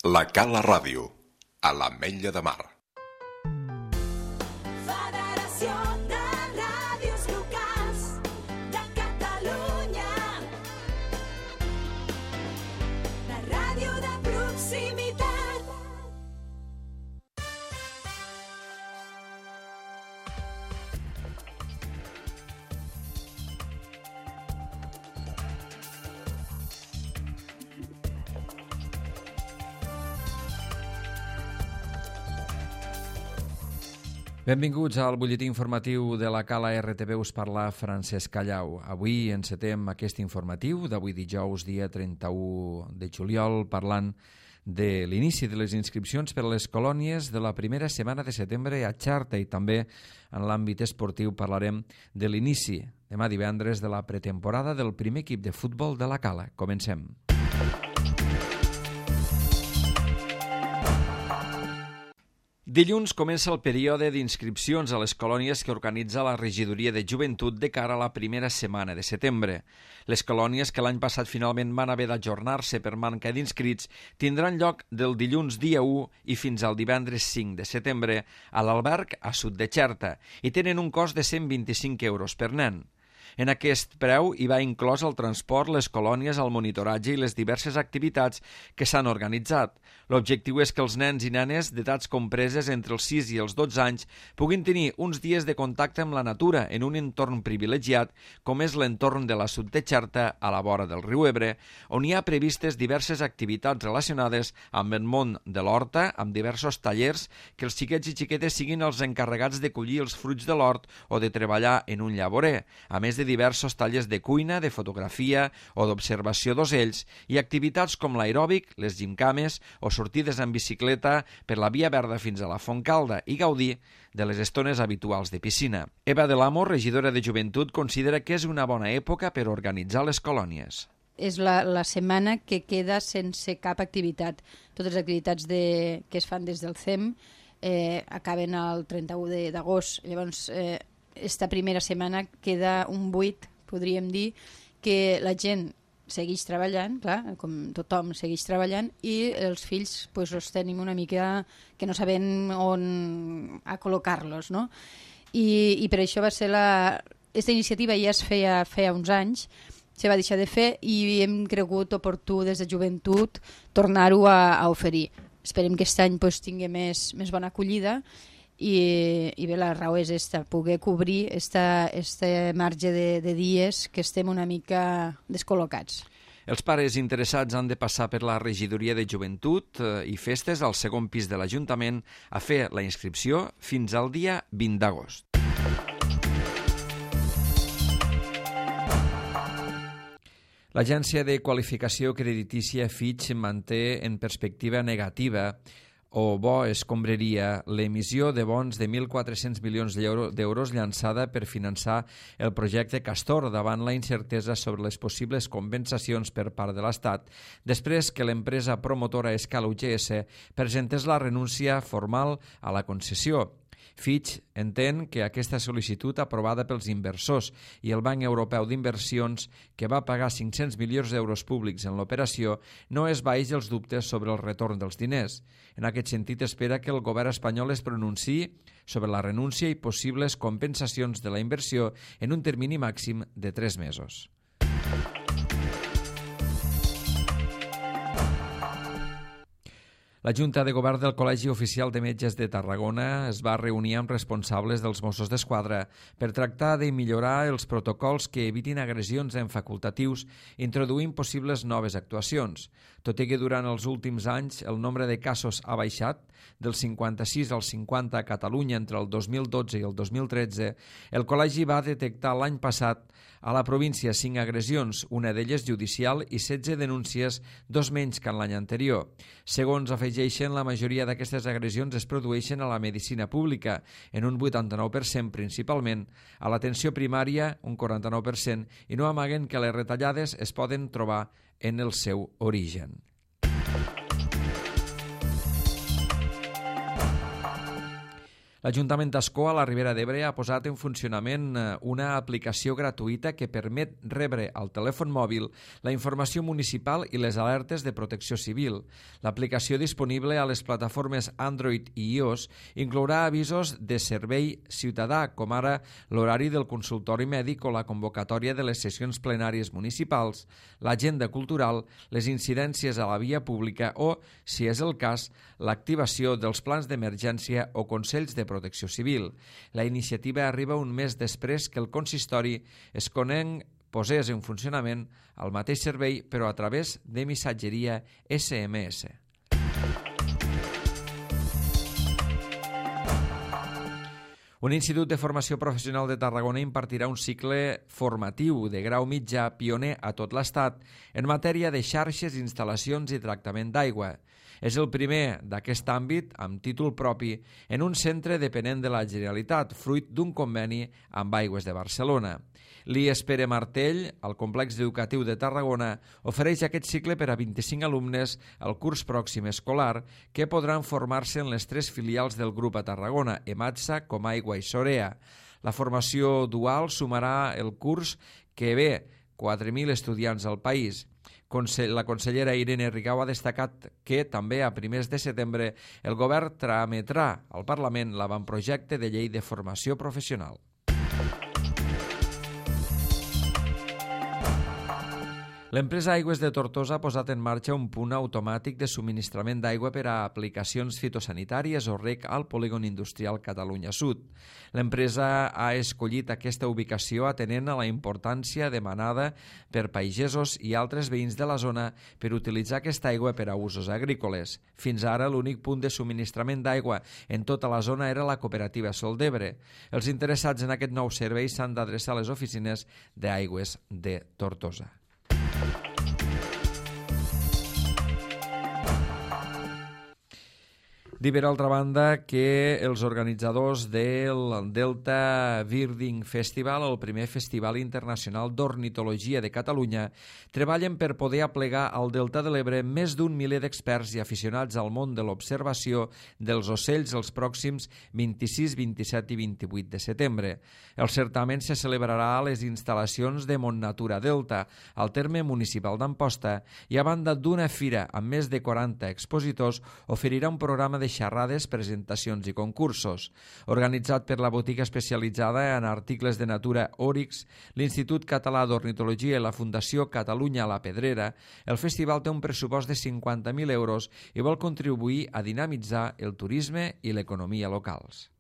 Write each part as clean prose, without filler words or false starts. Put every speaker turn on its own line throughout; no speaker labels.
La Cala Ràdio, a l'Ametlla de Mar.
Federació de Ràdios Locals de Catalunya. La ràdio de proximitat.
Benvinguts al butlletí informatiu de la Cala RTV, us parla Francesc Callau. Avui encetem aquest informatiu d'avui dijous, dia 31 de juliol, parlant de l'inici de les inscripcions per a les colònies de la primera setmana de setembre a Xarta, i també en l'àmbit esportiu parlarem de l'inici demà divendres de la pretemporada del primer equip de futbol de la Cala. Comencem. Dilluns comença el període d'inscripcions a les colònies que organitza la Regidoria de Joventut de cara a la primera setmana de setembre. Les colònies que l'any passat finalment van haver d'ajornar-se per manca d'inscrits tindran lloc del dilluns dia 1 i fins al divendres 5 de setembre a l'alberg a Sud de Xerta i tenen un cost de 125 euros per nen. En aquest preu hi va inclòs el transport, les colònies, el monitoratge i les diverses activitats que s'han organitzat. L'objectiu és que els nens i nenes d'edats compreses entre els 6 i els 12 anys puguin tenir uns dies de contacte amb la natura en un entorn privilegiat com és l'entorn de la Sud de Xerta a la vora del riu Ebre, on hi ha previstes diverses activitats relacionades amb el món de l'horta, amb diversos tallers que els xiquets i xiquetes siguin els encarregats de collir els fruits de l'hort o de treballar en un llavorer, a més de diversos tallers de cuina, de fotografia o d'observació d'ocells i activitats com l'aeròbic, les gimcames o sortides en bicicleta per la Via Verda fins a la Fontcalda i gaudir de les estones habituals de piscina. Eva de l'Amo, regidora de Joventut, considera que és una bona època per organitzar les colònies.
És la setmana que queda sense cap activitat. Totes les activitats que es fan des del CEM acaben el 31 d'agost. Llavors, esta primera setmana queda un buit, podríem dir, que la gent segueix treballant, clar, com tothom segueix treballant, i els fills pues, els tenim una mica que no sabem on a col·locar-los, no? I per això va ser aquesta iniciativa ja es feia uns anys, se va deixar de fer i hem cregut oportú des de Joventut tornar-ho a oferir. Esperem que aquest any pues, tingui més bona acollida i bé, la raó és poder cobrir este marge de dies que estem una mica descol·locats.
Els pares interessats han de passar per la Regidoria de Joventut i Festes al segon pis de l'Ajuntament a fer la inscripció fins al dia 20 d'agost. L'agència de qualificació creditícia Fitch manté en perspectiva negativa o bo escombraria l'emissió de bons de 1.400 milions d'euros llançada per finançar el projecte Castor davant la incertesa sobre les possibles compensacions per part de l'Estat després que l'empresa promotora Escal UGS presentés la renúncia formal a la concessió. Fitch entén que aquesta sol·licitud aprovada pels inversors i el Banc Europeu d'Inversions, que va pagar 500 milions d'euros públics en l'operació, no esvaeix els dubtes sobre el retorn dels diners. En aquest sentit, espera que el govern espanyol es pronunciï sobre la renúncia i possibles compensacions de la inversió en un termini màxim de 3 mesos. La Junta de Govern del Col·legi Oficial de Metges de Tarragona es va reunir amb responsables dels Mossos d'Esquadra per tractar de millorar els protocols que evitin agressions en facultatius, introduint possibles noves actuacions. Tot i que durant els últims anys el nombre de casos ha baixat, del 56 al 50 a Catalunya entre el 2012 i el 2013, el col·legi va detectar l'any passat a la província 5 agressions, una d'elles judicial i 16 denúncies, 2 menys que en l'any anterior. Segons afegeixen, la majoria d'aquestes agressions es produeixen a la medicina pública, en un 89% principalment, a l'atenció primària un 49%, i no amaguen que les retallades es poden trobar en el seu origen. L'Ajuntament d'Ascó, a la Ribera d'Ebre, ha posat en funcionament una aplicació gratuïta que permet rebre al telèfon mòbil la informació municipal i les alertes de protecció civil. L'aplicació disponible a les plataformes Android i iOS inclourà avisos de servei ciutadà, com ara l'horari del consultori mèdic o la convocatòria de les sessions plenàries municipals, l'agenda cultural, les incidències a la via pública o, si és el cas, l'activació dels plans d'emergència o consells de protecció civil. La iniciativa arriba un mes després que el consistori Esconenc posés en funcionament el mateix servei, però a través de missatgeria SMS. Un institut de formació professional de Tarragona impartirà un cicle formatiu de grau mitjà pioner a tot l'Estat en matèria de xarxes, instal·lacions i tractament d'aigua. És el primer d'aquest àmbit, amb títol propi, en un centre dependent de la Generalitat, fruit d'un conveni amb Aigües de Barcelona. L'IES Pere Martell, al complex educatiu de Tarragona, ofereix aquest cicle per a 25 alumnes al curs pròxim escolar que podran formar-se en les 3 filials del grup a Tarragona, Ematsa, Comaigua i Sorea. La formació dual sumarà el curs que ve 4.000 estudiants al país. La consellera Irene Rigau ha destacat que també a primers de setembre el govern trametrà al Parlament l'avantprojecte de llei de formació professional. L'empresa Aigües de Tortosa ha posat en marxa un punt automàtic de subministrament d'aigua per a aplicacions fitosanitàries o reg al polígon industrial Catalunya Sud. L'empresa ha escollit aquesta ubicació atenent a la importància demanada per pagesos i altres veïns de la zona per utilitzar aquesta aigua per a usos agrícoles. Fins ara, l'únic punt de subministrament d'aigua en tota la zona era la cooperativa Sol d'Ebre. Els interessats en aquest nou servei s'han d'adreçar a les oficines d'Aigües de Tortosa. Dir, per altra banda, que els organitzadors del Delta Birding Festival, el primer festival internacional d'ornitologia de Catalunya, treballen per poder aplegar al Delta de l'Ebre més d'un miler d'experts i aficionats al món de l'observació dels ocells els pròxims 26, 27 i 28 de setembre. El certamen se celebrarà a les instal·lacions de Montnatura Delta, al terme municipal d'Amposta, i a banda d'una fira amb més de 40 expositors, oferirà un programa de xerrades, presentacions i concursos. Organitzat per la botiga especialitzada en articles de natura Oryx, l'Institut Català d'Ornitologia i la Fundació Catalunya a la Pedrera, el festival té un pressupost de 50.000 euros i vol contribuir a dinamitzar el turisme i l'economia locals.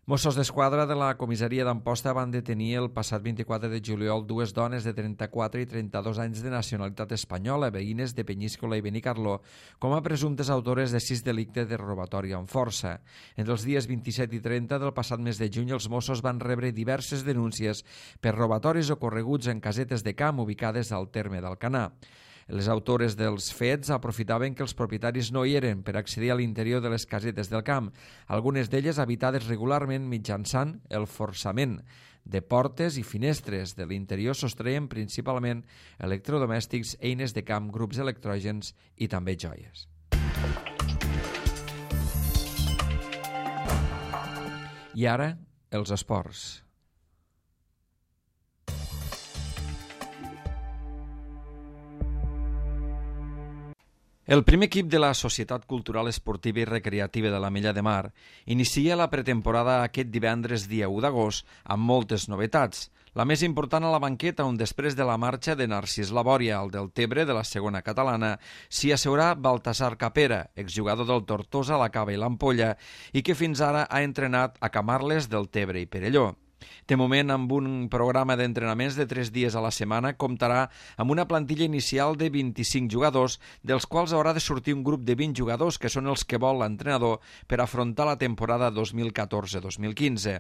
Mossos d'Esquadra de la comissaria d'Amposta van detenir el passat 24 de juliol 2 dones de 34 i 32 anys de nacionalitat espanyola, veïnes de Penyíscola i Benicarló, com a presumptes autores de 6 delictes de robatori amb força. Entre els dies 27 i 30 del passat mes de juny, els Mossos van rebre diverses denúncies per robatoris ocorreguts en casetes de camp ubicades al terme d'Alcanar. Les autores dels fets aprofitaven que els propietaris no hi eren per accedir a l'interior de les casetes del camp, algunes d'elles habitades regularment mitjançant el forçament de portes i finestres. De l'interior sostreien principalment electrodomèstics, eines de camp, grups electrògens i també joies. I ara, els esports. El primer equip de la Societat Cultural Esportiva i Recreativa de l'Ametlla de Mar inicia la pretemporada aquest divendres dia 1 d'agost amb moltes novetats. La més important a la banqueta, on després de la marxa de Narcís Labòria al Deltebre de la segona catalana, s'hi asseurà Baltasar Capera, exjugador del Tortosa, la Cava i l'Ampolla, i que fins ara ha entrenat a Camarles, Deltebre i Perelló. De moment, amb un programa d'entrenaments de 3 dies a la setmana, comptarà amb una plantilla inicial de 25 jugadors, dels quals haurà de sortir un grup de 20 jugadors, que són els que vol l'entrenador per afrontar la temporada 2014-2015.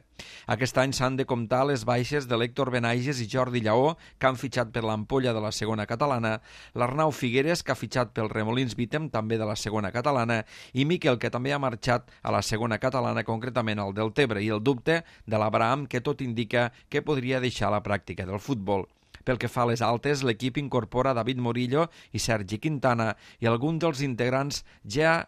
Aquest any s'han de comptar les baixes de l'Héctor Benaiges i Jordi Lleó, que han fitxat per l'Ampolla de la segona catalana, l'Arnau Figueres, que ha fitxat pel Remolins Vítem, també de la segona catalana, i Miquel, que també ha marxat a la segona catalana, concretament al Deltebre, i el dubte de l'Abraham, que tot indica que podria deixar la pràctica del futbol. Pel que fa a les altes, l'equip incorpora David Morillo i Sergi Quintana i alguns dels integrants ja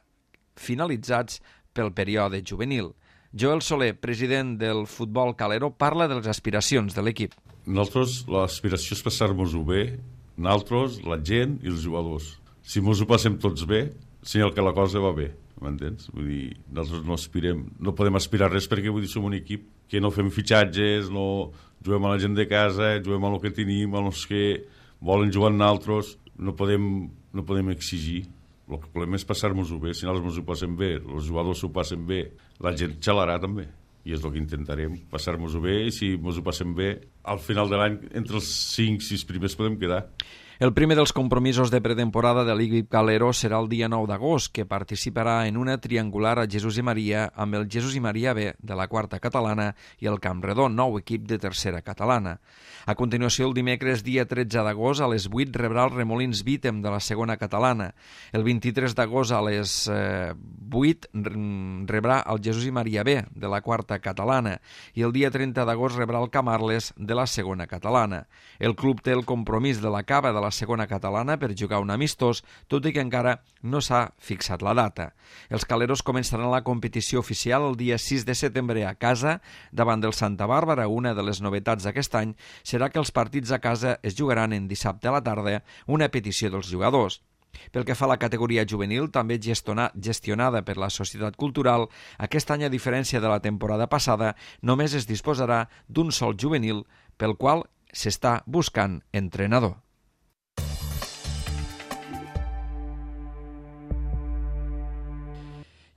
finalitzats pel període juvenil. Joel Soler, president del Futbol Calero, parla de les aspiracions de l'equip.
Nosaltres, l'aspiració és passar-nos-ho bé, nosaltres, la gent i els jugadors. Si mos ho passem tots bé, senyal que la cosa va bé, m'entens? Vull dir, nosaltres no podem aspirar res perquè vull dir, som un equip que no fem fitxatges, no juguem a la gent de casa, juguem a lo que tenim, a los que volen jugar amb nosaltres, no podem exigir. El que volem és passar-nos-ho bé, si nosaltres ens ho passem bé, els jugadors s'ho passen bé, la gent xalarà també. I és el que intentarem, passar-nos-ho bé, i si ens ho passem bé, al final de l'any, entre els 5-6 primers podem quedar.
El primer dels compromisos de pretemporada de l'equip Calero serà el dia 9 d'agost, que participarà en una triangular a Jesús i Maria amb el Jesús i Maria B de la quarta catalana i el Camp Redó, nou equip de tercera catalana. A continuació, el dimecres dia 13 d'agost a les 8 rebrà el Remolins Vítem de la segona catalana. El 23 d'agost a les 8 rebrà el Jesús i Maria B de la quarta catalana i el dia 30 d'agost rebrà el Camarles de la segona catalana. El club té el compromís de la Cava de la segona catalana per jugar un amistós, tot i que encara no s'ha fixat la data. Els caleros començaran la competició oficial el dia 6 de setembre a casa davant del Santa Bàrbara. Una de les novetats d'aquest any serà que els partits a casa es jugaran en dissabte a la tarda, una petició dels jugadors. Pel que fa a la categoria juvenil, també gestionada per la Societat Cultural, aquest any, a diferència de la temporada passada, només es disposarà d'un sol juvenil, pel qual s'està buscant entrenador.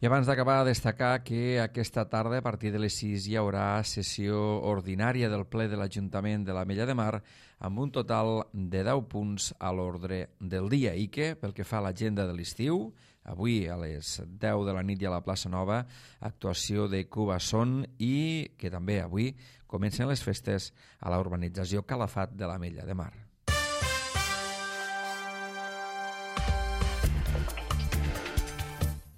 I abans d'acabar, destacar que aquesta tarda, a partir de les 6, hi haurà sessió ordinària del ple de l'Ajuntament de l'Ametlla de Mar amb un total de 10 punts a l'ordre del dia i que, pel que fa a l'agenda de l'estiu, avui a les 10 de la nit i a la plaça Nova, actuació de Cuba Son i que també avui comencen les festes a la urbanització Calafat de l'Ametlla de Mar.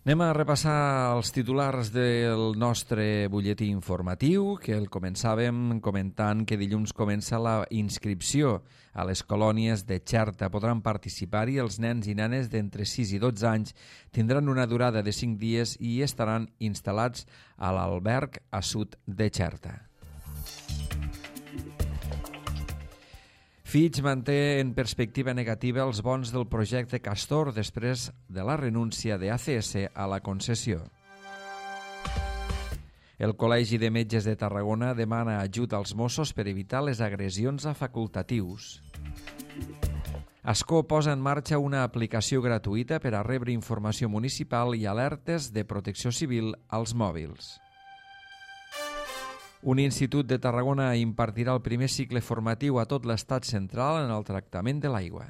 Anem a repassar els titulars del nostre butlletí informatiu, que el començàvem comentant que dilluns comença la inscripció a les colònies de Xerta. Podran participar-hi els nens i nenes d'entre 6 i 12 anys, tindran una durada de 5 dies i estaran instal·lats a l'alberg a sud de Xerta. Fitch manté en perspectiva negativa els bons del projecte Castor després de la renúncia de ACS a la concessió. El Col·legi de Metges de Tarragona demana ajut als Mossos per evitar les agressions a facultatius. Ascó posa en marxa una aplicació gratuïta per a rebre informació municipal i alertes de protecció civil als mòbils. Un institut de Tarragona impartirà el primer cicle formatiu a tot l'estat central en el tractament de l'aigua.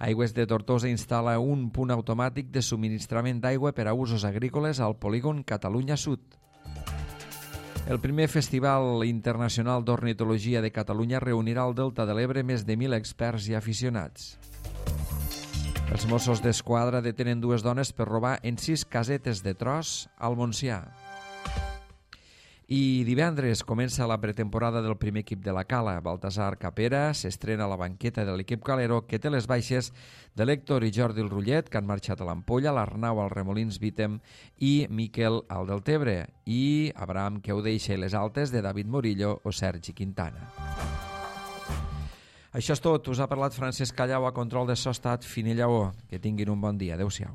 Aigües de Tortosa instal·la un punt automàtic de subministrament d'aigua per a usos agrícoles al polígon Catalunya Sud. El primer Festival Internacional d'Ornitologia de Catalunya reunirà al Delta de l'Ebre més de 1.000 experts i aficionats. Els Mossos d'Esquadra detenen 2 dones per robar en 6 casetes de tros al Montsià. I divendres comença la pretemporada del primer equip de la Cala. Baltasar Capera s'estrena a la banqueta de l'equip calero, que té les baixes de l'Héctor i Jordi el Rullet, que han marxat a l'Ampolla, l'Arnau al Remolins Vítem i Miquel al Deltebre, i Abraham que ho deixa i les altes de David Morillo o Sergi Quintana. Això és tot. Us ha parlat Francesc Callau, a control de so estat Fini Lleó. Que tinguin un bon dia. Adéu-siau.